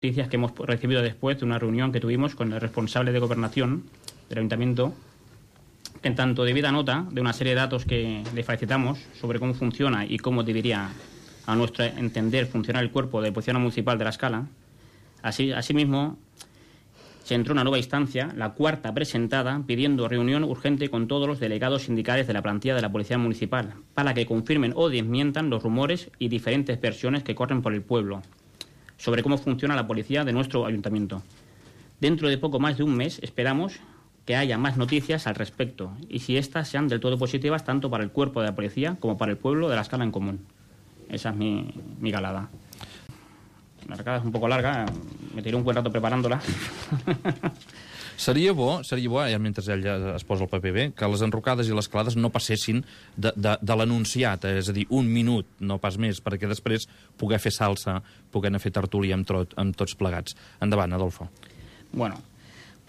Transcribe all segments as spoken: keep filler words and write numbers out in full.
noticias que hemos recibido después de una reunión que tuvimos con el responsable de gobernación del ayuntamiento, que en tanto debida nota de una serie de datos que le facilitamos sobre cómo funciona y cómo debería, a nuestro entender, funcionar el cuerpo de policía municipal de La Scala. Así, asimismo, se entró una nueva instancia, la cuarta presentada, pidiendo reunión urgente con todos los delegados sindicales de la plantilla de la Policía Municipal para que confirmen o desmientan los rumores y diferentes versiones que corren por el pueblo sobre cómo funciona la policía de nuestro ayuntamiento. Dentro de poco más de un mes esperamos que haya más noticias al respecto y si éstas sean del todo positivas tanto para el cuerpo de la policía como para el pueblo de La Scala en común. Esa es mi, mi galada. La recada és un poc larga, me tiré un buen rato preparándola. Seria bo, seria bo, ja mentre ell ja es posa el paper bé, que les enrocades i les calades no passessin de, de, de l'anunciat, és a dir, un minut, no pas més, perquè després poder fer salsa, poder anar a fer tertúlia amb, trot, amb tots plegats. Endavant, Adolfo. Bueno,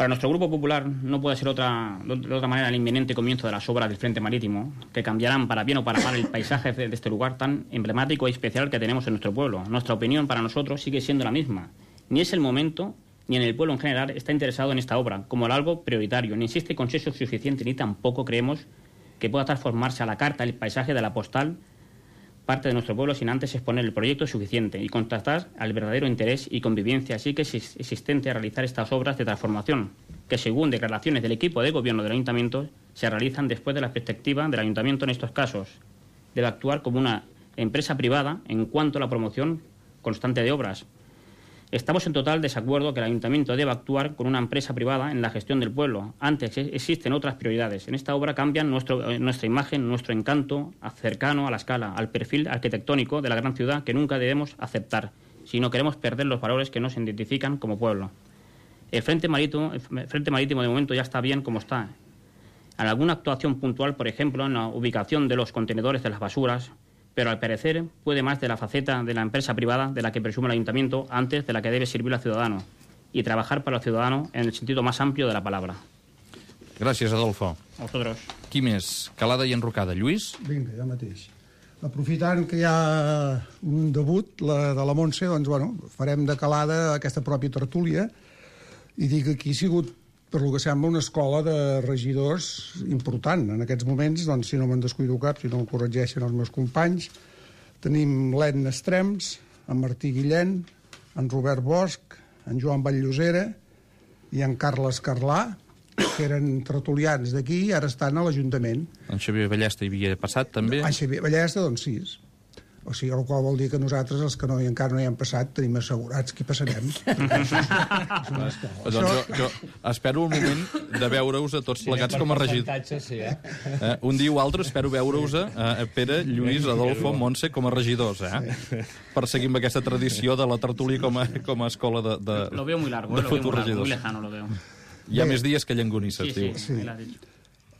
para nuestro Grupo Popular no puede ser otra, de otra manera el inminente comienzo de las obras del Frente Marítimo, que cambiarán para bien o para mal el paisaje de este lugar tan emblemático y especial que tenemos en nuestro pueblo. Nuestra opinión para nosotros sigue siendo la misma. Ni es el momento, ni en el pueblo en general está interesado en esta obra como algo prioritario, ni existe consenso suficiente, ni tampoco creemos que pueda transformarse a la carta el paisaje de la postal parte de nuestro pueblo sin antes exponer el proyecto suficiente y contrastar al verdadero interés y convivencia así que es existente a realizar estas obras de transformación, que según declaraciones del equipo de gobierno del ayuntamiento se realizan después de la perspectiva del ayuntamiento en estos casos. Debe actuar como una empresa privada en cuanto a la promoción constante de obras. Estamos en total desacuerdo que el ayuntamiento deba actuar con una empresa privada en la gestión del pueblo. Antes existen otras prioridades. En esta obra cambian nuestro, nuestra imagen, nuestro encanto cercano a La Scala, al perfil arquitectónico de la gran ciudad que nunca debemos aceptar, si no queremos perder los valores que nos identifican como pueblo. El Frente Marítimo, el Frente Marítimo de momento ya está bien como está. En alguna actuación puntual, por ejemplo, en la ubicación de los contenedores de las basuras, pero al parecer puede más de la faceta de la empresa privada de la que presume el ayuntamiento antes de la que debe servir al ciudadano y trabajar para el ciudadano en el sentido más amplio de la palabra. Gràcies, Adolfo. A vosaltres. Qui més? Calada i enrocada. Lluís? Vinga, ja mateix. Aprofitant que hi ha un debut, la de la Montse, doncs, bueno, farem de Calada aquesta pròpia tertúlia i dic que aquí ha sigut, per lo que sembla, una escola de regidors important. En aquests moments, doncs, si no me'n descuido cap, si no em corregeixen els meus companys, tenim l'Edna Estrems, en Martí Guillén, en Robert Bosch, en Joan Batllosera i en Carles Carlà, que eren tertulians d'aquí i ara estan a l'Ajuntament. En Xavier Ballesta hi havia passat, també? En Xavier Ballesta, doncs sí. O sigui, el qual vol dir que nosaltres, els que no, encara no hi hem passat, tenim assegurats que hi passarem. Doncs jo, jo espero un moment de veure-us a tots plegats com a regidors. Sí, eh? Eh, un dia o altre espero veure-us a, a Pere, Lluís, Adolfo, Montse com a regidors, eh? Sí. Per seguir amb aquesta tradició de la tertúlia com a, com a escola de, de, lo veo muy largo, de lo veo muy, largo, regidors. muy lejano, lo veo. Hi ha Bé. més dies que llangonisses, sí, diu. Sí, sí, sí.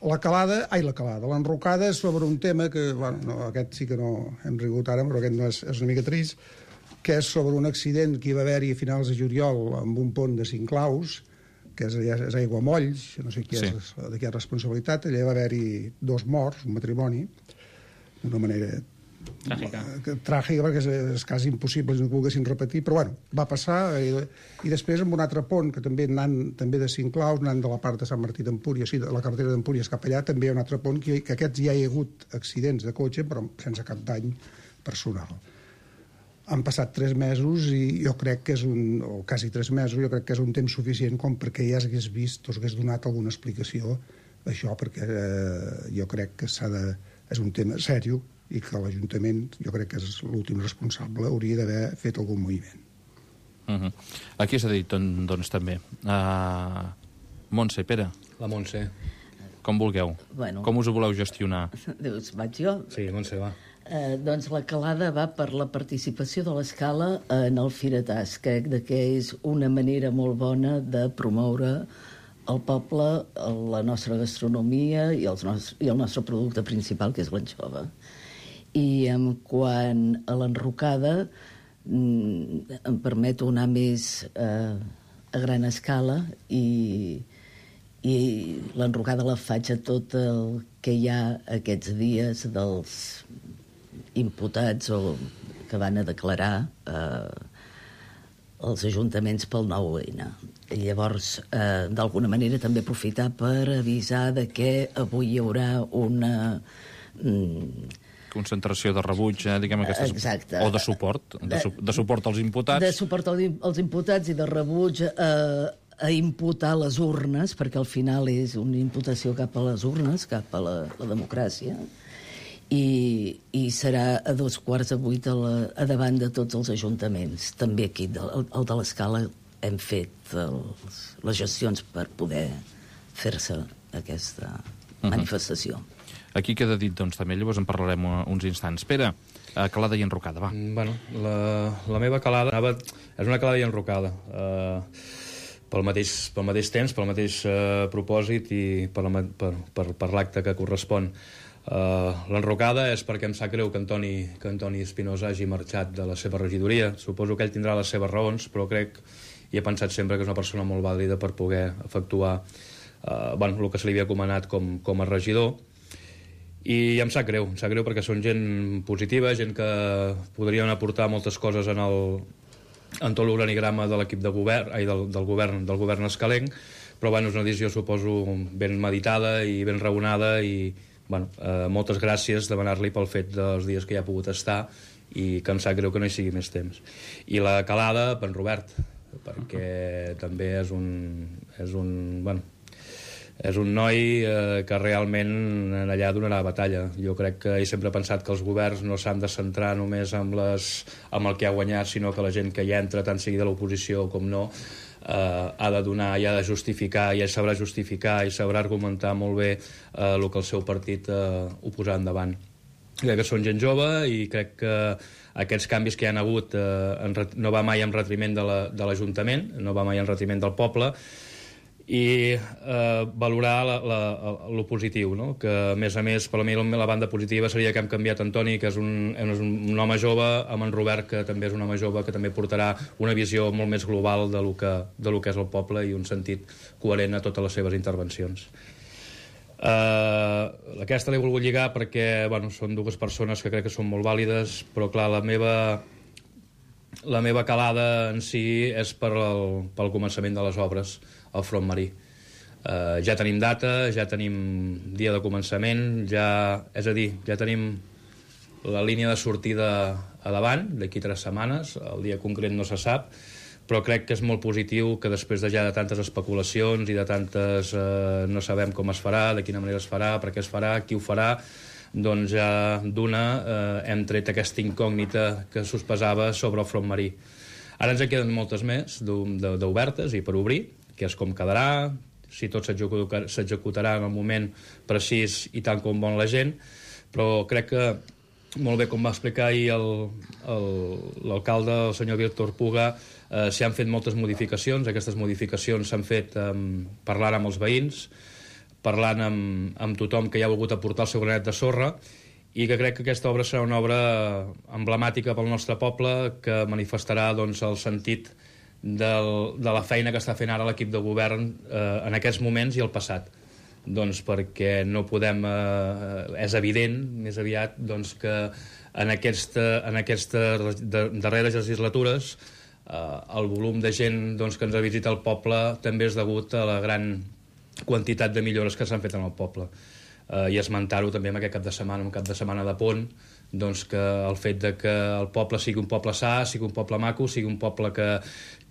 La calada, ai, la calada, l'enrocada és sobre un tema que, bueno, no, aquest sí que no hem rigut ara, però aquest no és, és una mica trist, que és sobre un accident que hi va haver-hi a finals de juliol amb un pont de cinc claus, que és, és Aiguamolls, no sé qui sí. és, de qui és responsabilitat, allà va haver-hi dos morts, un matrimoni, d'una manera tràgica, tràgica perquè és, és quasi impossible si no volguessin repetir, però bueno, va passar i, i després amb un altre pont que també anant també de cinc claus, anant de la part de Sant Martí d'Empúries, sí, de la carretera d'Empúries cap allà, també hi ha un altre pont que, que aquests ja hi ha hagut accidents de cotxe però sense cap dany personal. Han passat tres mesos i jo crec que és un, o quasi tres mesos, jo crec que és un temps suficient com perquè ja s'hagués vist o s'hagués donat alguna explicació d'això, perquè eh, jo crec que s'ha de, és un tema seriós i que l'Ajuntament, jo crec que és l'últim responsable, hauria d'haver fet algun moviment. Uh -huh. Aquí s'ha dit, doncs, també. Uh, Montse, Pere. La Montse. Com vulgueu. Bueno. Com us ho voleu gestionar? Dius, vaig jo? Sí, Montse, va. Eh, doncs la calada va per la participació de l'Escala en el Firetàs, crec que és una manera molt bona de promoure el poble, la nostra gastronomia i, els nostres, i el nostre producte principal, que és l'anxova. I en quant a l'enrocada, em permeto anar més eh, a gran escala i, i l'enrocada la faig a tot el que hi ha aquests dies dels imputats o que van a declarar eh, els ajuntaments pel nou ene. I llavors, eh, d'alguna manera, també aprofitar per avisar de que avui hi haurà una... Mm, concentració de rebuig, eh, diguem aquestes... Exacte. O de suport, de, su de suport als imputats. De suport als imputats i de rebuig eh, a imputar les urnes, perquè al final és una imputació cap a les urnes, cap a la, la democràcia, i, i serà a dos quarts de vuit a, la, a davant de tots els ajuntaments. També aquí, el, el de l'Escala, hem fet els, les gestions per poder fer-se aquesta manifestació. Uh-huh. Aquí queda dit, doncs, també, llavors en parlarem uns instants. Pere, calada i enrocada, va. Bueno, la, la meva calada anava, és una calada i enrocada. Uh, pel mateix, pel mateix temps, pel mateix uh, propòsit i per, la, per, per, per l'acte que correspon. Uh, L'enrocada és perquè em sap greu que Antoni, que Antoni Espinosa hagi marxat de la seva regidoria. Suposo que ell tindrà les seves raons, però crec i he pensat sempre que és una persona molt vàlida per poder efectuar uh, bueno, el que se li havia comanat com, com a regidor. I em sap greu, em sap greu perquè són gent positiva, gent que podrien aportar moltes coses en, el, en tot l'organigrama de l'equip de govern, ai, del, del, govern, del govern escalenc, però bueno, és una decisió, suposo, ben meditada i ben raonada i bueno, eh, moltes gràcies, demanar-li pel fet dels dies que hi ha pogut estar i que em sap greu que no hi sigui més temps. I la calada, per en Robert, perquè també és un, és un, bueno, és un noi eh, que realment allà donarà batalla. Jo crec que he sempre pensat que els governs no s'han de centrar només amb, les, amb el que ha guanyat, sinó que la gent que hi entra, tant sigui de l'oposició com no, eh, ha de donar i ha de justificar, i ell sabrà justificar i sabrà argumentar molt bé eh, el que el seu partit eh, ho posarà endavant. Crec que són gent jove i crec que aquests canvis que hi ha hagut eh, en, no va mai en retriment de l'Ajuntament, la, no va mai en retriment del poble, i eh, valorar el positiu, no? Que a més a més per a mi la banda positiva seria que hem canviat Antoni, que és un, és un home jove, amb en Robert, que també és un home jove que també portarà una visió molt més global de lo que, de lo que és el poble i un sentit coherent a totes les seves intervencions. Uh, aquesta l'he volgut lligar perquè bueno, són dues persones que crec que són molt vàlides, però clar, la meva la meva calada en si és per el, pel començament de les obres al front marí. Uh, ja tenim data, ja tenim dia de començament, ja, és a dir, ja tenim la línia de sortida a davant, d'aquí tres setmanes, el dia concret no se sap, però crec que és molt positiu que després de ja de tantes especulacions i de tantes eh, no sabem com es farà, de quina manera es farà, per què es farà, qui ho farà, doncs ja d'una eh, hem tret aquesta incògnita que sospesava sobre el front marí. Ara ens en queden moltes més d'obertes i per obrir, que és com quedarà, si tot s'executarà en el moment precís i tant com vol la gent, però crec que molt bé, com va explicar ahir l'alcalde, el senyor Víctor Puga, eh, s'hi han fet moltes modificacions. Aquestes modificacions s'han fet eh, parlant amb els veïns, parlant amb, amb tothom que hi ha volgut aportar el seu granet de sorra, i que crec que aquesta obra serà una obra emblemàtica pel nostre poble, que manifestarà doncs, el sentit del, de la feina que està fent ara l'equip de govern eh, en aquests moments i el passat. Doncs perquè no podem, eh, és evident més aviat doncs, que en aquesta, en aquesta darreres legislatures eh, el volum de gent doncs, que ens ha visitat el poble també és degut a la gran quantitat de millores que s'han fet en el poble. Eh, I esmentar-ho també en aquest cap de setmana, un cap de setmana de pont, doncs que el fet de que el poble sigui un poble sa, sigui un poble maco, sigui un poble que,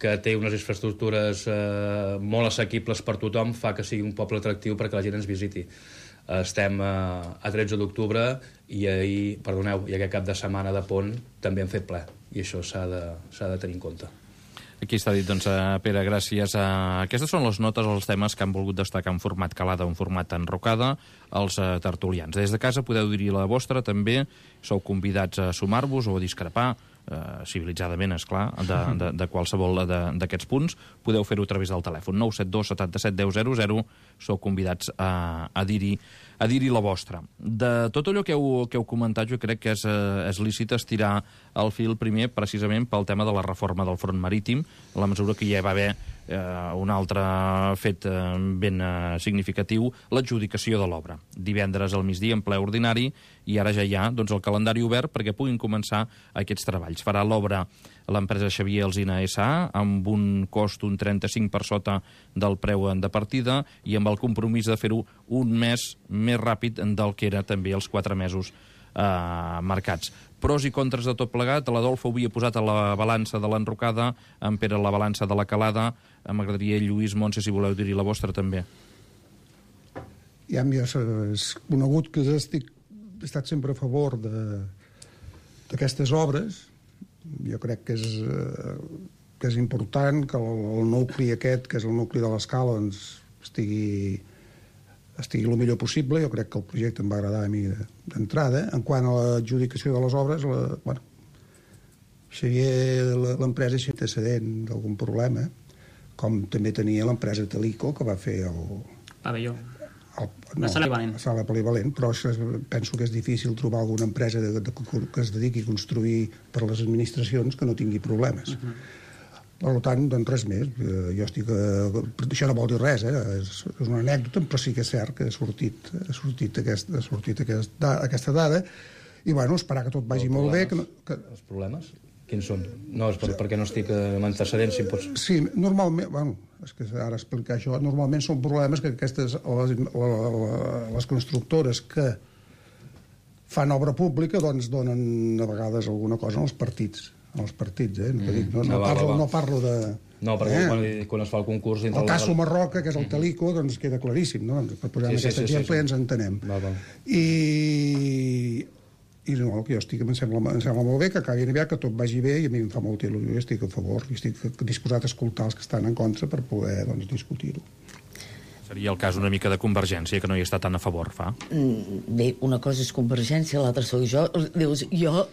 que té unes infraestructures eh, molt assequibles per tothom, fa que sigui un poble atractiu perquè la gent ens visiti. Eh, estem eh, a tretze d'octubre i ahir, perdoneu, i aquest cap de setmana de pont també hem fet ple, i això s'ha de, s'ha de tenir en compte. Aquí està dit, doncs, Pere, gràcies. Aquestes són les notes, els temes que han volgut destacar en format calada o en format enrocada els tertulians. Des de casa podeu dir la vostra, també sou convidats a sumar-vos o a discrepar, eh, civilitzadament, esclar, de, de, de qualsevol d'aquests punts. Podeu fer-ho a través del telèfon nou set dos setanta-set deu zero zero, sou convidats a, a dir-hi a dir-hi la vostra. De tot allò que heu, que heu comentat, jo crec que és, eh, és lícit estirar el fil primer precisament pel tema de la reforma del front marítim, a la mesura que ja va haver eh, un altre fet eh, ben eh, significatiu, l'adjudicació de l'obra. Divendres al migdia en ple ordinari, i ara ja hi ha doncs, el calendari obert perquè puguin començar aquests treballs. Farà l'obra l'empresa Xavier Alsina S A amb un cost un trenta-cinc per sota del preu de partida i amb el compromís de fer-ho un mes més ràpid del que era també els quatre mesos eh, marcats. Pros i contres de tot plegat, l'Adolfo ho havia posat a la balança de l'enrocada, en Pere a la balança de la calada. M'agradaria, Lluís, Montse, si voleu dir-hi la vostra també. Ja és conegut que estic, he estat sempre a favor d'aquestes obres. Jo crec que és, que és important que el, el nucli aquest, que és el nucli de l'Escala, doncs, estigui, estigui el millor possible. Jo crec que el projecte em va agradar a mi d'entrada. En quant a l'adjudicació de les obres, la, bueno, Xavier, l'empresa és antecedent d'algun problema, com també tenia l'empresa Telico, que va fer el... Pavelló. El, no, la sala polivalent. La sala polivalent, però és, penso que és difícil trobar alguna empresa de, de, que es dediqui a construir per les administracions que no tingui problemes. Uh -huh. Per tant, doncs res més. Jo estic... A, això no vol dir res, eh? És, és una anècdota, però sí que és cert que ha sortit, ha sortit, aquest, ha sortit aquest, da, aquesta dada, i bueno, esperar que tot vagi els molt bé. Que no, que... Els problemes? Quins són? No, és per, perquè no estic en antecedents, si pots... Sí, normalment... Bueno, és que ara explicar això, normalment són problemes que aquestes, les, les constructores que fan obra pública doncs donen a vegades alguna cosa als partits, als partits, eh? No, mm. dic, no, no, no, parlo, no parlo de... No, perquè eh? quan, quan es fa el concurs... El cas Sumarroca, que és el Telico, doncs queda claríssim, no? Per posar sí, aquest sí, exemple sí, sí. Ens entenem. Va, va. I... i no, el que jo estic, em sembla, em sembla molt bé que acabi aviat, que tot vagi bé, i a mi em fa molta il·lusió, estic a favor, i estic disposat a escoltar els que estan en contra per poder doncs, discutir-ho. Seria el cas una mica de Convergència, que no hi està tan a favor, fa? Bé, una cosa és Convergència, l'altra sóc jo. Dius, jo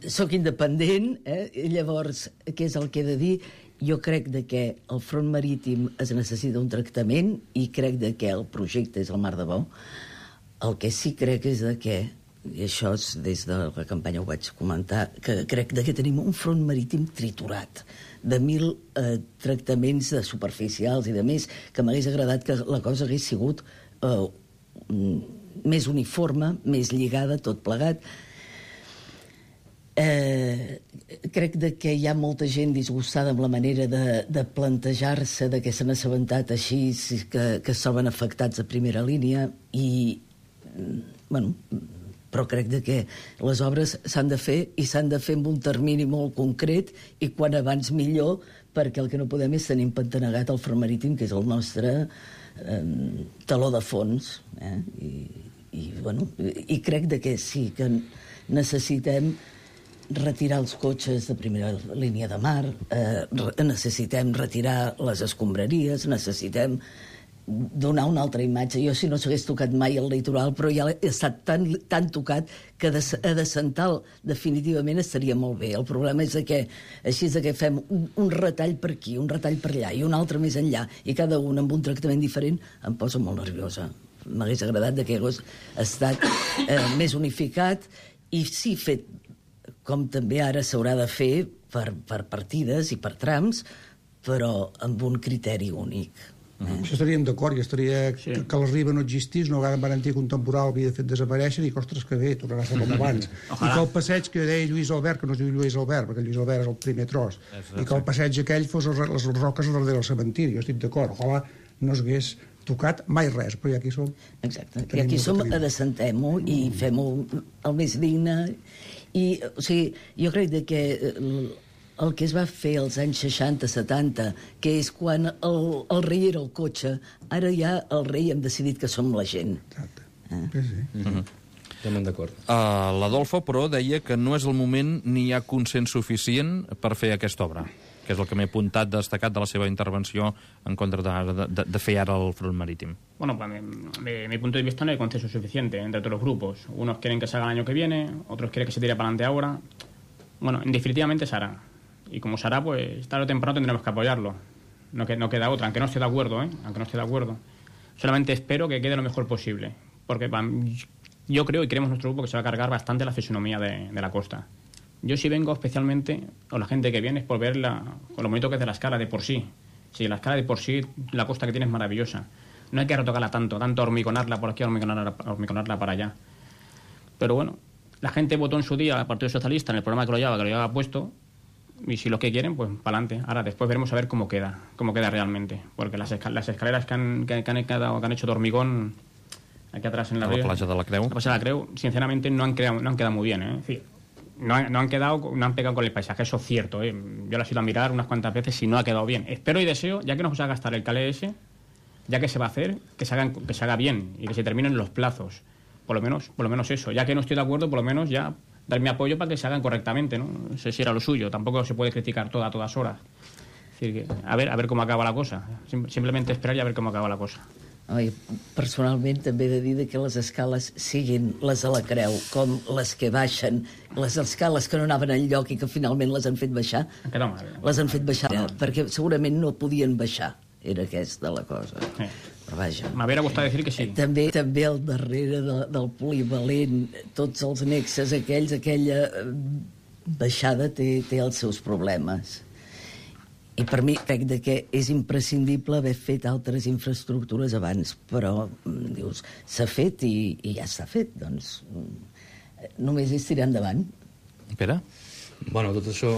sóc independent, eh? Llavors, què és el que he de dir? Jo crec de que el front marítim es necessita un tractament i crec de que el projecte és el mar de bo. El que sí crec és de que, i això és, des de la campanya ho vaig comentar, que crec de que tenim un front marítim triturat de mil eh, tractaments de superficials i de més, que m'hagués agradat que la cosa hagués sigut eh, més uniforme, més lligada, tot plegat. Eh, crec de que hi ha molta gent disgustada amb la manera de, de plantejar-se de que s'han assabentat així, que, que s'han afectats a primera línia, i bueno, però crec de que les obres s'han de fer i s'han de fer amb un termini molt concret i quan abans millor, perquè el que no podem és tenir empantanegat el front marítim, que és el nostre eh, taló de fons, eh? I, i, bueno, i crec de que sí, que necessitem retirar els cotxes de primera línia de mar, eh, necessitem retirar les escombraries, necessitem donar una altra imatge. Jo, si no s'hagués tocat mai el litoral, però ja he estat tan, tan tocat que de, a de Santal definitivament estaria molt bé. El problema és que així és que fem un, un retall per aquí, un retall per allà i un altre més enllà, i cada un amb un tractament diferent em posa molt nerviosa. M'hagués agradat que hagués estat eh, més unificat i sí fet com també ara s'haurà de fer per, per partides i per trams, però amb un criteri únic. Eh? Això estaríem d'acord, i estaria sí. que, que la riba no existís, no van garantir que un temporal havia fet desaparèixer i que, ostres, que bé, tornarà a ser com abans. I que el passeig que deia Lluís Albert, que no es diu Lluís Albert, perquè Lluís Albert és el primer tros, i que el passeig aquell fos les, les roques darrere del cementiri. Jo estic d'acord, ojalà no s'hagués tocat mai res, però ja aquí som... Exacte, i aquí som, adesentem-ho i fem-ho el més digne. I, o sigui, jo crec que el que es va fer als anys seixanta setanta, que és quan el, el rei era el cotxe, ara ja el rei hem decidit que som la gent. Exacte. Eh? Sí, sí. Mm-hmm. Estem d'acord. Uh, L'Adolfo, però, deia que no és el moment ni hi ha consens suficient per fer aquesta obra, que és el que m'he apuntat destacat de la seva intervenció en contra de, de, de fer ara el front marítim. Bueno, pues, de mi punto de vista no hay consenso suficiente entre todos los grupos. Unos quieren que se haga el año que viene, otros quieren que se tire para adelante ahora. Bueno, definitivamente se hará. Y como se hará, pues tarde o temprano tendremos que apoyarlo. No, que, no queda otra, aunque no esté de acuerdo, ¿eh? Aunque no esté de acuerdo. Solamente espero que quede lo mejor posible. Porque yo creo y creemos nuestro grupo que se va a cargar bastante la fisonomía de, de la costa. Yo sí vengo especialmente, o la gente que viene, es por ver la, lo bonito que es de la Escala de por sí. Sí, la escala de por sí, la costa que tiene es maravillosa. No hay que retocarla tanto, tanto hormigonarla por aquí, hormigonarla, hormigonarla para allá. Pero bueno, la gente votó en su día al Partido Socialista en el programa que lo llevaba, que lo llevaba puesto, y si lo que quieren, pues para adelante. Ahora después veremos a ver cómo queda, cómo queda realmente. Porque las, escal las escaleras que han, que, que, han quedado, que han hecho de hormigón aquí atrás en la, a la playa de la Creu, la playa de la Creu, sinceramente no han, creado, no han quedado muy bien, ¿eh? Es decir, no han, no han quedado, no han pegado con el paisaje, eso es cierto, ¿eh? Yo las he ido a mirar unas cuantas veces y no ha quedado bien. Espero y deseo, ya que nos va a gastar el calé ese, ya que se va a hacer, que se, hagan, que se haga bien y que se terminen los plazos. Por lo menos, por lo menos eso. Ya que no estoy de acuerdo, por lo menos ya dar mi apoyo para que se hagan correctamente, ¿no? Ese sí era lo suyo. Tampoco se puede criticar todo a todas horas. Es decir, que, a ver, a ver cómo acaba la cosa. Sim simplemente esperar y a ver cómo acaba la cosa. Oi, personalment també he de dir que les escales siguin les de la Creu com les que baixen, les escales que no anaven enlloc i que finalment les han fet baixar, les han fet baixar perquè segurament no podien baixar, era aquesta la cosa. Sí. Però vaja. M'hauria gustat dir que sí. També, també al darrere de, del polivalent, tots els nexes aquells, aquella baixada té, té els seus problemes. I per mi crec que és imprescindible haver fet altres infraestructures abans, però dius, s'ha fet i, i ja està fet, doncs només és tirar endavant. Pere? Bueno, tot això,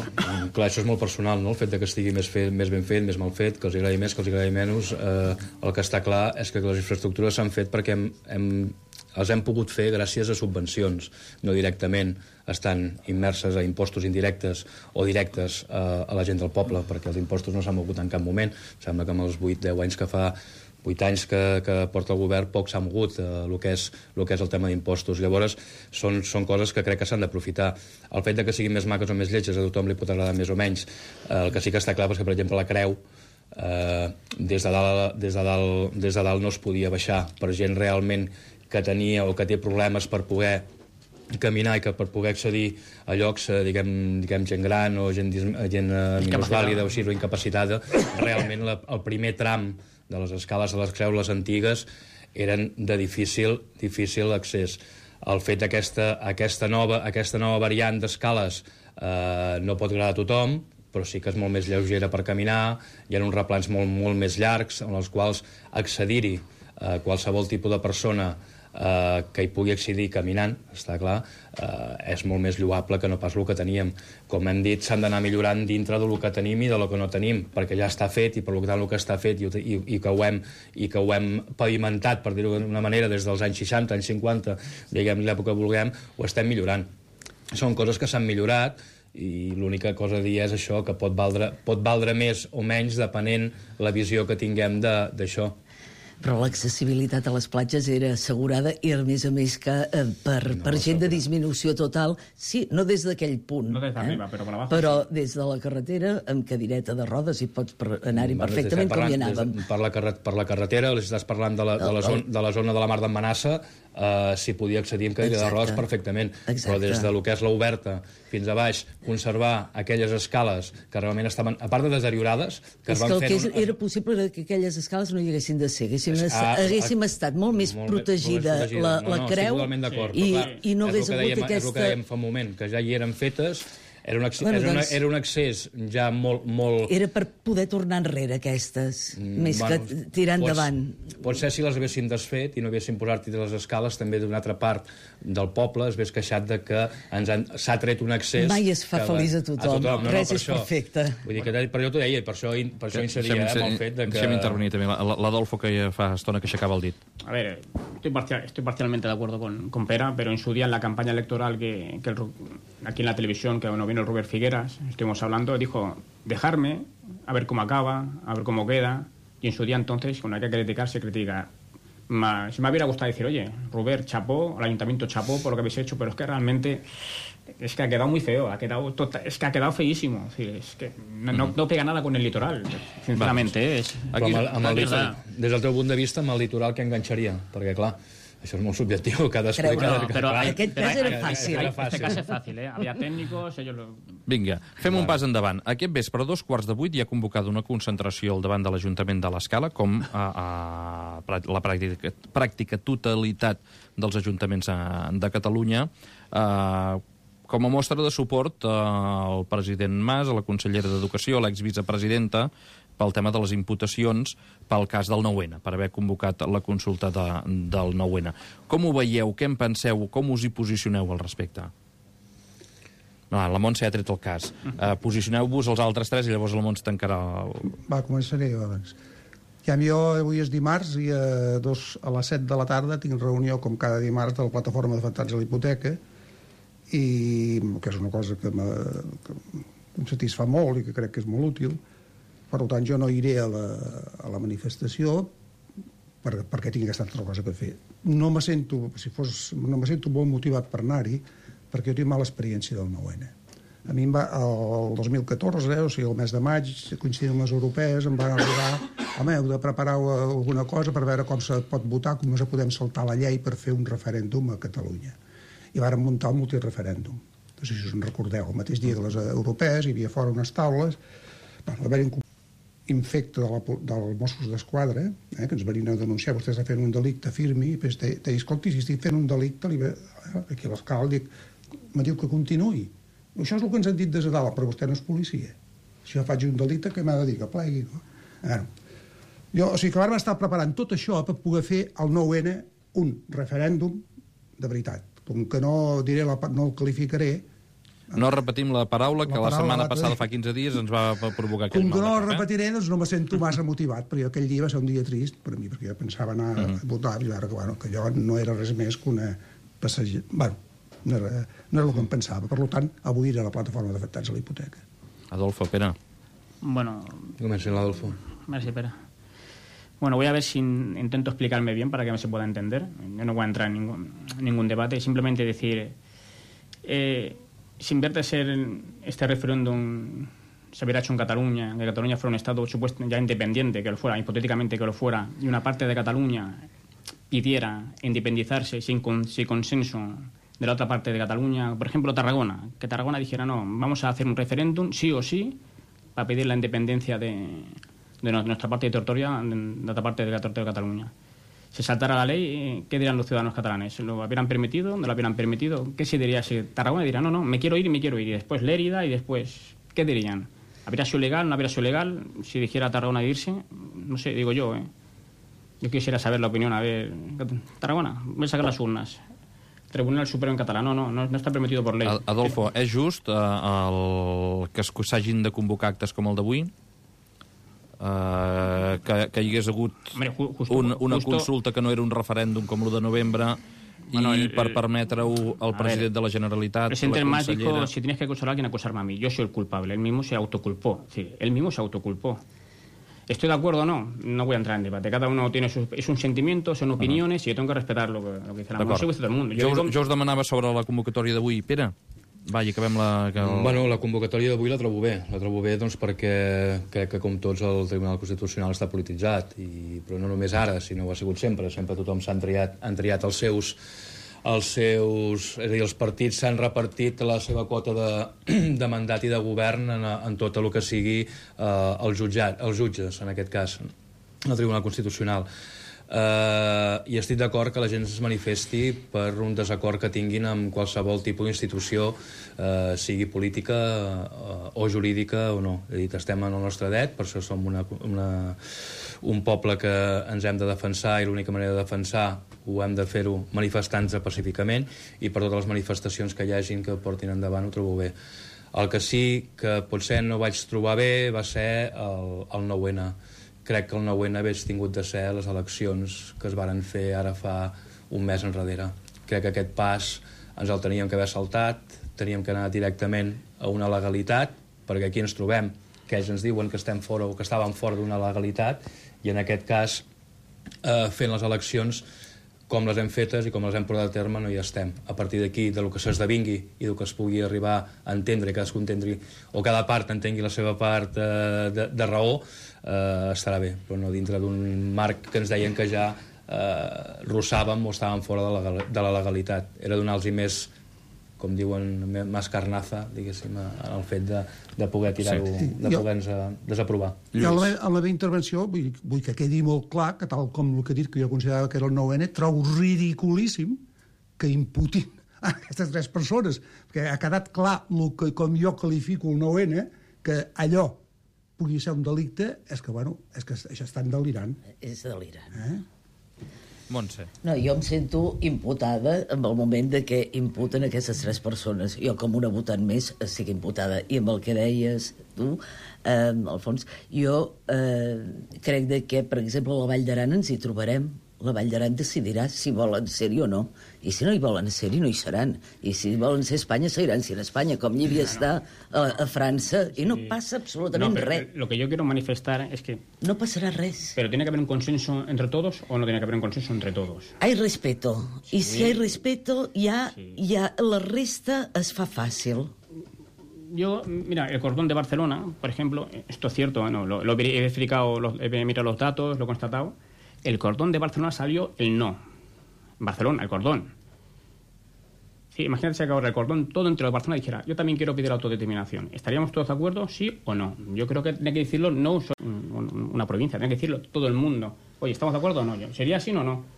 clar, això és molt personal, no? El fet de que estigui més, fet, més ben fet, més mal fet, que els agradi més, que els agradi menys, eh, el que està clar és que les infraestructures s'han fet perquè hem, hem, els hem pogut fer gràcies a subvencions, no directament estan immerses a impostos indirectes o directes a, a la gent del poble, perquè els impostos no s'han mogut en cap moment. Sembla que amb els vuit deu anys que fa vuit anys que, que porta el govern poc s'ha mogut eh, el, que és, el que és el tema d'impostos. Llavors, són, són coses que crec que s'han d'aprofitar. El fet de que siguin més maques o més lletges a tothom li pot agradar més o menys. Eh, el que sí que està clar és que, per exemple, la Creu, eh, des, de dalt, des, de dalt, des de dalt no es podia baixar per gent realment que tenia o que té problemes per poder caminar i que per poder accedir a llocs, eh, diguem, diguem gent gran o gent, gent eh, minusvàlida o així, o incapacitada, realment la, el primer tram de les escales de les Creus, les antigues, eren de difícil, difícil accés. El fet d'aquesta aquesta nova, aquesta nova variant d'escales eh, no pot agradar a tothom, però sí que és molt més lleugera per caminar, hi ha uns replans molt, molt més llargs en els quals accedir-hi eh, qualsevol tipus de persona eh, que hi pugui accedir caminant, està clar, eh, és molt més lloable que no pas el que teníem. Com hem dit, s'han d'anar millorant dintre del que tenim i del que no tenim, perquè ja està fet, i per tant el que està fet i, i, i, que, ho hem, i que ho hem pavimentat, per dir-ho d'una manera, des dels anys seixanta, anys cinquanta, diguem l'època que vulguem, ho estem millorant. Són coses que s'han millorat, i l'única cosa a dir és això, que pot valdre, pot valdre més o menys depenent la visió que tinguem d'això. Però l'accessibilitat a les platges era assegurada i, a més a més, que eh, per, no, per gent de disminució total, sí, no des d'aquell punt, no des d'arriba, eh? però per abajo, però sí. Des de la carretera, amb cadireta de rodes, i pots anar-hi perfectament com hi anàvem. Des, per, la per la carretera, si estàs parlant de la, de la, zona, de la zona de la Mar d'en Manassa, eh, s'hi podia accedir amb cadira de rodes perfectament. Exacte. Però des de lo que és l'oberta fins a baix, conservar aquelles escales que realment estaven, a part de deteriorades, que és es van que el fer... que és, un... era possible que aquelles escales no hi haguessin de ser, haguéssim, es, ah, haguéssim ah, estat molt més molt protegida, més protegida. La, no, la no, Creu i, i no hagués hagut dèiem, aquesta... És el que dèiem fa un moment, que ja hi eren fetes. Era un, accés, bueno, era, una, doncs, era un accés ja molt, molt... Era per poder tornar enrere, aquestes, mm, més bueno, que tirar endavant. Potser si les haguessin desfet i no haguessin posat les escales, també d'una altra part del poble es hagués queixat de que s'ha tret un accés... Mai es fa feliç a tothom, a tothom. No, Res no, és això. Perfecte. Vull dir que per allò t'ho deia, per això, per això incidia eh, amb el fet de que... Deixem intervenir també, l'Adolfo, que ja fa estona que aixecava el dit. A ver, estoy, parcial, estoy parcialmente de acuerdo con, con Pera, pero en su día en la campaña electoral que, que el, aquí en la televisión, que bueno, vino el Robert Figueras, estuvimos hablando, dijo, dejarme, a ver cómo acaba, a ver cómo queda, y en su día entonces, cuando hay que criticar, se critica. Ma, si me hubiera gustado decir, oye, Robert, chapó, al ayuntamiento chapó por lo que habéis hecho, pero es que realmente es que ha quedado muy feo, ha quedado tota, es que ha quedado feísimo, es, decir, es que no, no, no pega nada con el litoral, sinceramente. Eh, és... Aquí, amb el, amb el litoral, des del teu punt de vista, amb el litoral que enganxaria? Perquè, clar, això és molt subjectiu, cadascú... Creu, cada, no, però cada, en aquest cas era fàcil. En aquest cas és fàcil, eh? Havia tècnics, ells... Lo... Vinga, fem un pas endavant. Aquest vespre, a dos quarts de vuit, hi ha convocada una concentració al davant de l'Ajuntament de l'Escala, com a, a la pràctica, pràctica totalitat dels ajuntaments de Catalunya, eh, com a mostra de suport al president Mas, a la consellera d'Educació, a l'exvicepresidenta, pel tema de les imputacions pel cas del nou ene, per haver convocat la consulta de, del nou ene. Com ho veieu? Què en penseu? Com us hi posicioneu al respecte? No, la Montse ha tret el cas. Uh, posicioneu-vos els altres tres i llavors la Montse tancarà el... Va, començaré jo abans. Ja, jo avui és dimarts i a, dos, a les set de la tarda tinc reunió, com cada dimarts, de la plataforma d'afectats a la hipoteca, i que és una cosa que, que em satisfà molt i que crec que és molt útil. Per tant, jo no iré a la, a la manifestació per, perquè tinc aquesta altra cosa que fer. No me sento, si fos, no me sento molt motivat per anar-hi, perquè jo tinc mala experiència del nou ene. A mi em va, el dos mil catorze, o sigui, el mes de maig, coincidint amb les europees, em van arribar, home, heu de preparar alguna cosa per veure com se pot votar, com no se podem saltar la llei per fer un referèndum a Catalunya. I vàrem muntar un multireferèndum. No sé si us en recordeu, el mateix dia que les europees hi havia fora unes taules, bueno, va haver un infecte de la, del Mossos d'Esquadra, eh, que ens venien a denunciar, vostè està fent un delicte, firmi, i després deia, escolti, si estic fent un delicte, li ve... aquí a l'escala dic, me diu que continuï. Això és el que ens han dit des de dalt, però vostè no és policia. Si jo faig un delicte, què m'ha de dir? Que plegui, no? Bueno, jo, o sigui que vam estar preparant tot això per poder fer el nou ene un referèndum de veritat. Com que no diré la, no el qualificaré. No repetim la paraula, que la, la paraula, setmana la... passada, fa quinze dies, ens va provocar aquell com mal. Com que no la el repetiré, doncs no me sento massa motivat, perquè aquell dia va ser un dia trist per a mi, perquè jo pensava anar uh -huh. a votar, i ara que, bueno, que allò no era res més que una passager... Bueno, no era, no era el que em pensava. Per tant, avui era la plataforma d'afectats a la hipoteca. Adolfo, Pere. Bueno... Comença l'Adolfo. Merci, Pere. Bueno, voy a ver si intento explicarme bien para que se pueda entender. Yo no voy a entrar en ningún, ningún debate, simplemente decir... Eh, si en vez de ser este referéndum se hubiera hecho en Cataluña, que Cataluña fuera un Estado supuesto ya independiente, que lo fuera, hipotéticamente que lo fuera, y una parte de Cataluña pidiera independizarse sin, con, sin consenso de la otra parte de Cataluña, por ejemplo Tarragona, que Tarragona dijera no, vamos a hacer un referéndum sí o sí para pedir la independencia de, de nuestra parte territorial, de la otra parte de la territorio de Cataluña. Se saltara la ley, ¿qué dirían los ciudadanos catalanes? ¿Lo hubieran permitido? ¿No lo hubieran permitido? ¿Qué se diría si Tarragona dirá no, no, me quiero ir y me quiero ir? Y después Lérida y después, ¿qué dirían? ¿Habría sido legal? ¿No habría sido legal? Si dijera Tarragona de irse, no sé, digo yo, ¿eh? Yo quisiera saber la opinión, a ver, Tarragona, voy a sacar las urnas. Tribunal Supremo en català, no, no, no, no està permetido per llei. Adolfo, és just eh, el que s'hagin de convocar actes com el d'avui? Uh, que, que hi hagués hagut Hombre, justo, un, una justo... consulta que no era un referèndum com l'u de novembre i bueno, el, per permetre-ho al president ver, de la Generalitat, el presidente la consellera... dijo, si tienes que acusar a alguien, acusarme a mí. Yo soy el culpable. Él mismo se autoculpó. Sí, él mismo se autoculpó. ¿Estoy de acuerdo o no? No voy a entrar en debate. Cada uno tiene sus... Es un sentimiento, son opiniones, uh -huh. y yo tengo que respetar lo que, lo que dice la mano. Todo el mundo. Yo, jo, digo... jo us demanava sobre la convocatòria d'avui. Pere? Va, i acabem la... Que el... Bueno, la convocatòria d'avui la trobo bé. La trobo bé doncs, perquè crec que, com tots, el Tribunal Constitucional està polititzat. I, però no només ara, sinó ho ha sigut sempre. Sempre tothom s'han triat, han triat els seus... els seus... És a dir, els partits s'han repartit la seva quota de, de mandat i de govern en, en tot el que sigui eh, el jutjat, els jutges, en aquest cas, el Tribunal Constitucional. Uh, i estic d'acord que la gent es manifesti per un desacord que tinguin amb qualsevol tipus d'institució, uh, sigui política uh, o jurídica o no. He dit, estem en el nostre dret, per això som una, una, un poble que ens hem de defensar, i l'única manera de defensar ho hem de fer-ho manifestant-nos pacíficament, i per totes les manifestacions que hi hagin que portin endavant ho trobo bé. El que sí que potser no vaig trobar bé va ser el, el nou ene. Crec que el nou ene hagués tingut de ser les eleccions que es varen fer ara fa un mes enrere. Crec que aquest pas ens el teníem que haver saltat, teníem que anar directament a una legalitat, perquè aquí ens trobem que ells ens diuen que estem fora o que estàvem fora d'una legalitat, i en aquest cas, eh, fent les eleccions com les hem fetes i com les hem portat a terme, no hi estem. A partir d'aquí, de lo que s'esdevingui i del que es pugui arribar a entendre, cadascú entengui, o cada part entengui la seva part eh, de, de raó, eh, estarà bé, però no dintre d'un marc que ens deien que ja eh, rossàvem o estàvem fora de la, de la legalitat. Era donar-los més, com diuen, més carnaza, diguéssim, en el fet de, de poder tirar-ho, sí. de poder-nos desaprovar. Jo, en la, en la meva intervenció, vull, vull que quedi molt clar que, tal com el que he dit, que jo considerava que era el nou ene, trobo ridiculíssim que imputin a aquestes tres persones, perquè ha quedat clar el que, com jo qualifico el nou ene, que allò pugui ser un delicte, és que, bueno, és que això estan delirant. És delirant. Eh? Montse. No, jo em sento imputada en el moment de que imputen aquestes tres persones. Jo, com una votant més, estic imputada. I amb el que deies tu, eh, Alfons, jo eh, crec de que, per exemple, a la Vall d'Aran ens hi trobarem. La Vall d'Aran decidirà si volen ser-hi o no. I si no hi volen ser-hi, no hi seran. I si volen ser a Espanya, seguiran sent a Espanya, com Llívia està a, a França, i no passa absolutament no, pero, res. Lo que yo quiero manifestar es que... No passarà res. ¿Pero tiene que haber un consenso entre todos o no tiene que haber un consenso entre todos? Hay respeto. I si hay respeto, ja, Sí. ja la resta es fa fàcil. Yo, mira, el cordón de Barcelona, por ejemplo, esto es cierto, ¿no? lo, lo he verificado, lo, he mirado los datos, lo he constatado. El cordón de Barcelona salió el no. Barcelona, el cordón. Sí, imagínate que ahora el cordón todo entre los Barcelona dijera, yo también quiero pedir autodeterminación. ¿Estaríamos todos de acuerdo, sí o no? Yo creo que tiene que decirlo no una provincia, tiene que decirlo todo el mundo. Oye, ¿estamos de acuerdo o no? ¿Sería así o no?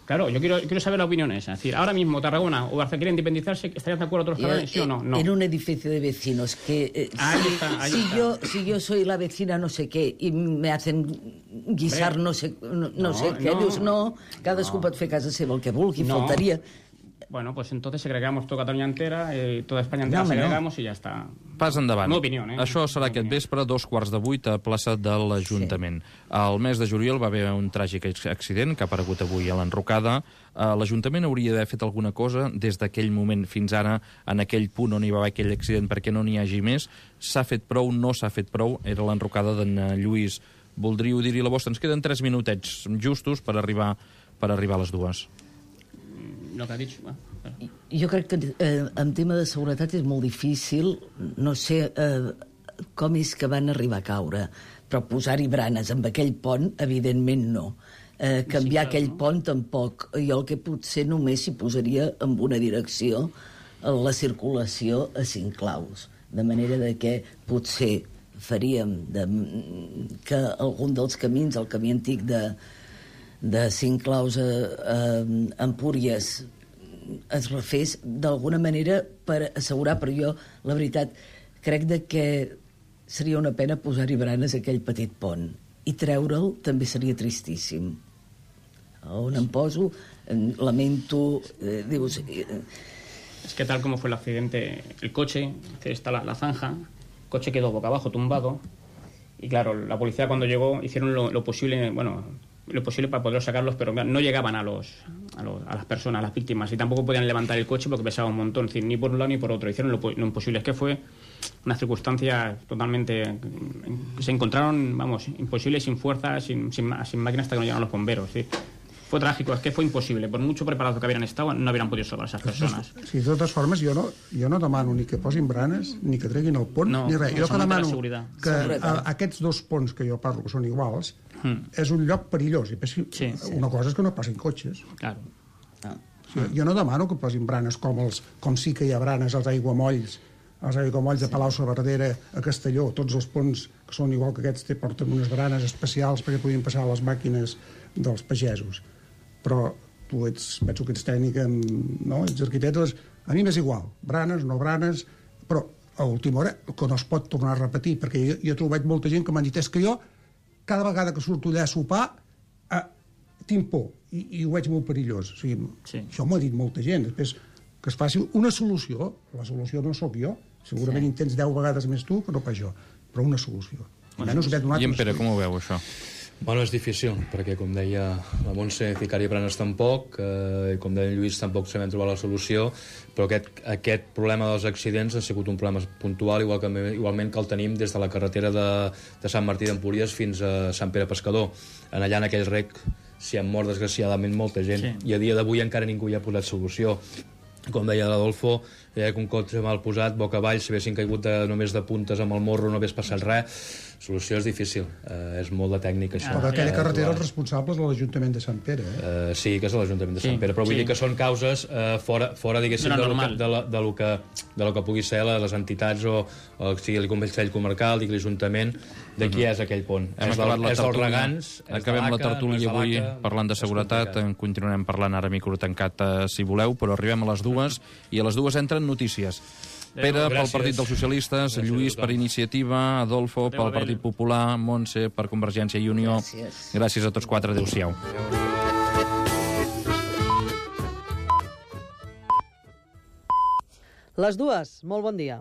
Claro, yo quiero, quiero saber la opinión esa. Es decir, ahora mismo Tarragona o Barcelona quieren independizarse, ¿estarían de acuerdo todos los catalanes, sí o no? No. En un edificio de vecinos que eh, Ahí si, está, ahí si está. yo si yo soy la vecina no sé qué y me hacen guisar Hombre, no sé no, no no, sé què, no. dius no, cadascú pot fer a casa seva el que vulgui, No. faltaria. Bueno, pues entonces segregamos toda Cataluña entera, eh, toda España entera No, home, no. segregamos y ya está. Pas endavant. Una opinió, eh? Això serà aquest vespre, a dos quarts de vuit, a plaça de l'Ajuntament. Al mes de juliol va haver un tràgic accident que ha aparegut avui a l'Enrocada. Uh, L'Ajuntament hauria d'haver fet alguna cosa des d'aquell moment fins ara, en aquell punt on hi va haver aquell accident, perquè no n'hi hagi més. S'ha fet prou, no s'ha fet prou. Era l'Enrocada d'en Lluís. Voldríeu dir-hi la vostra? Ens queden tres minutets justos per arribar, per arribar a les dues. Lo que ha dicho... Bueno, Jo crec que eh, en tema de seguretat és molt difícil, no sé eh, com és que van arribar a caure, però posar-hi branes amb aquell pont, evidentment no. Eh, canviar Sí, clar, aquell no? pont tampoc. Jo el que potser només s'hi posaria en una direcció la circulació a cinc claus, de manera de que potser faríem de, que algun dels camins, el camí antic de, de cinc claus a, a Empúries, es refés d'alguna manera per assegurar, però jo, la veritat, crec de que seria una pena posar-hi branes a aquell petit pont. I treure'l també seria tristíssim. On em poso, lamento, eh, dius... Eh, es que tal como fue el accidente, el coche, está la, la zanja, el coche quedó boca abajo, tumbado, y claro, la policía cuando llegó hicieron lo, lo posible, bueno, lo posible para poder sacarlos, pero no llegaban a los, a los a las personas, a las víctimas, y tampoco podían levantar el coche porque pesaba un montón, es decir, ni por un lado ni por otro, hicieron lo, lo imposible. Es que fue una circunstancia totalmente, se encontraron, vamos, imposible, sin fuerza, sin, sin, sin máquinas hasta que no llegaron los bomberos, ¿sí? Fue trágico, es que fue imposible. Por mucho preparado que hubieran estado, no hubieran podido salvar a esas personas. Sí, de totes formes, jo no, jo no demano ni que posin branes, ni que treguin el pont, No, ni res. Jo no, que solament demano la seguretat. que a, Seguretat. aquests dos ponts que jo parlo, que són iguals, Mm. és un lloc perillós. I pensi, Sí, sí. una cosa és que no passin cotxes. Claro. no. O sigui, jo no demano que posin branes com, els, com sí que hi ha branes als aiguamolls, als aiguamolls de Palau-saverdera, a Castelló, tots els ponts que són igual que aquests, té, porten unes branes especials perquè puguin passar les màquines dels pagesos. Però tu ets, penso que ets tècnica, no? Ets arquitecte, a mi m'és igual, branes, no branes, però a última hora, que no es pot tornar a repetir, perquè jo, jo he trobat molta gent que m'han dit, és que jo, cada vegada que surto allà a sopar, eh, tinc por, i, i ho veig molt perillós. O sigui, Sí. això m'ho ha dit molta gent. Després, que es faci una solució, la solució no sóc jo, segurament Sí. intents deu vegades més tu que no pas jo, però una solució. Almenys m'he donat I en un Pere, estudi. com ho veu, això? Bueno, és difícil, perquè, com deia la Montse, ficar-hi branes tampoc, eh, com deia en Lluís, tampoc sabem trobar la solució, però aquest, aquest problema dels accidents ha sigut un problema puntual, igual que, igualment que el tenim des de la carretera de, de Sant Martí d'Empúries fins a Sant Pere Pescador. En allà, en aquell rec, s'hi ha mort, desgraciadament, molta gent, Sí. i a dia d'avui encara ningú hi ha posat solució. Com deia l'Adolfo, deia que un cotxe mal posat, boca avall, si haguessin caigut de, només de puntes amb el morro no hagués passat res. Solució és difícil, eh, és molt de tècnica això. Però d'aquella Eh, carretera trobar- els responsables de l'Ajuntament de Sant Pere. Eh? Eh, sí, que és a l'Ajuntament de Sant Sí, Pere, però vull sí. dir que són causes eh, fora, fora diguéssim, De de lo lo, que, normal. de, la, de, lo que, de lo que pugui ser les entitats o, o sigui, el Consell Comarcal, digui l'Ajuntament, de qui és aquell pont. Hem és acabat del, la és dels tertúlia. regants, és Acabem de la l'A C A, tertúlia no és de avui l'A C A, parlant de és seguretat. complicat. En continuarem parlant ara a micro tancat, eh, si voleu, però arribem a les dues, i a les dues entren notícies. Pere, pel Gràcies. Partit dels Socialistes, Gràcies Lluís a tothom. per Iniciativa, Adolfo Adéu, pel Abel. Partit Popular, Montse per Convergència i Unió. Gràcies. Gràcies a tots quatre. Adéu-siau. Les dues, molt bon dia.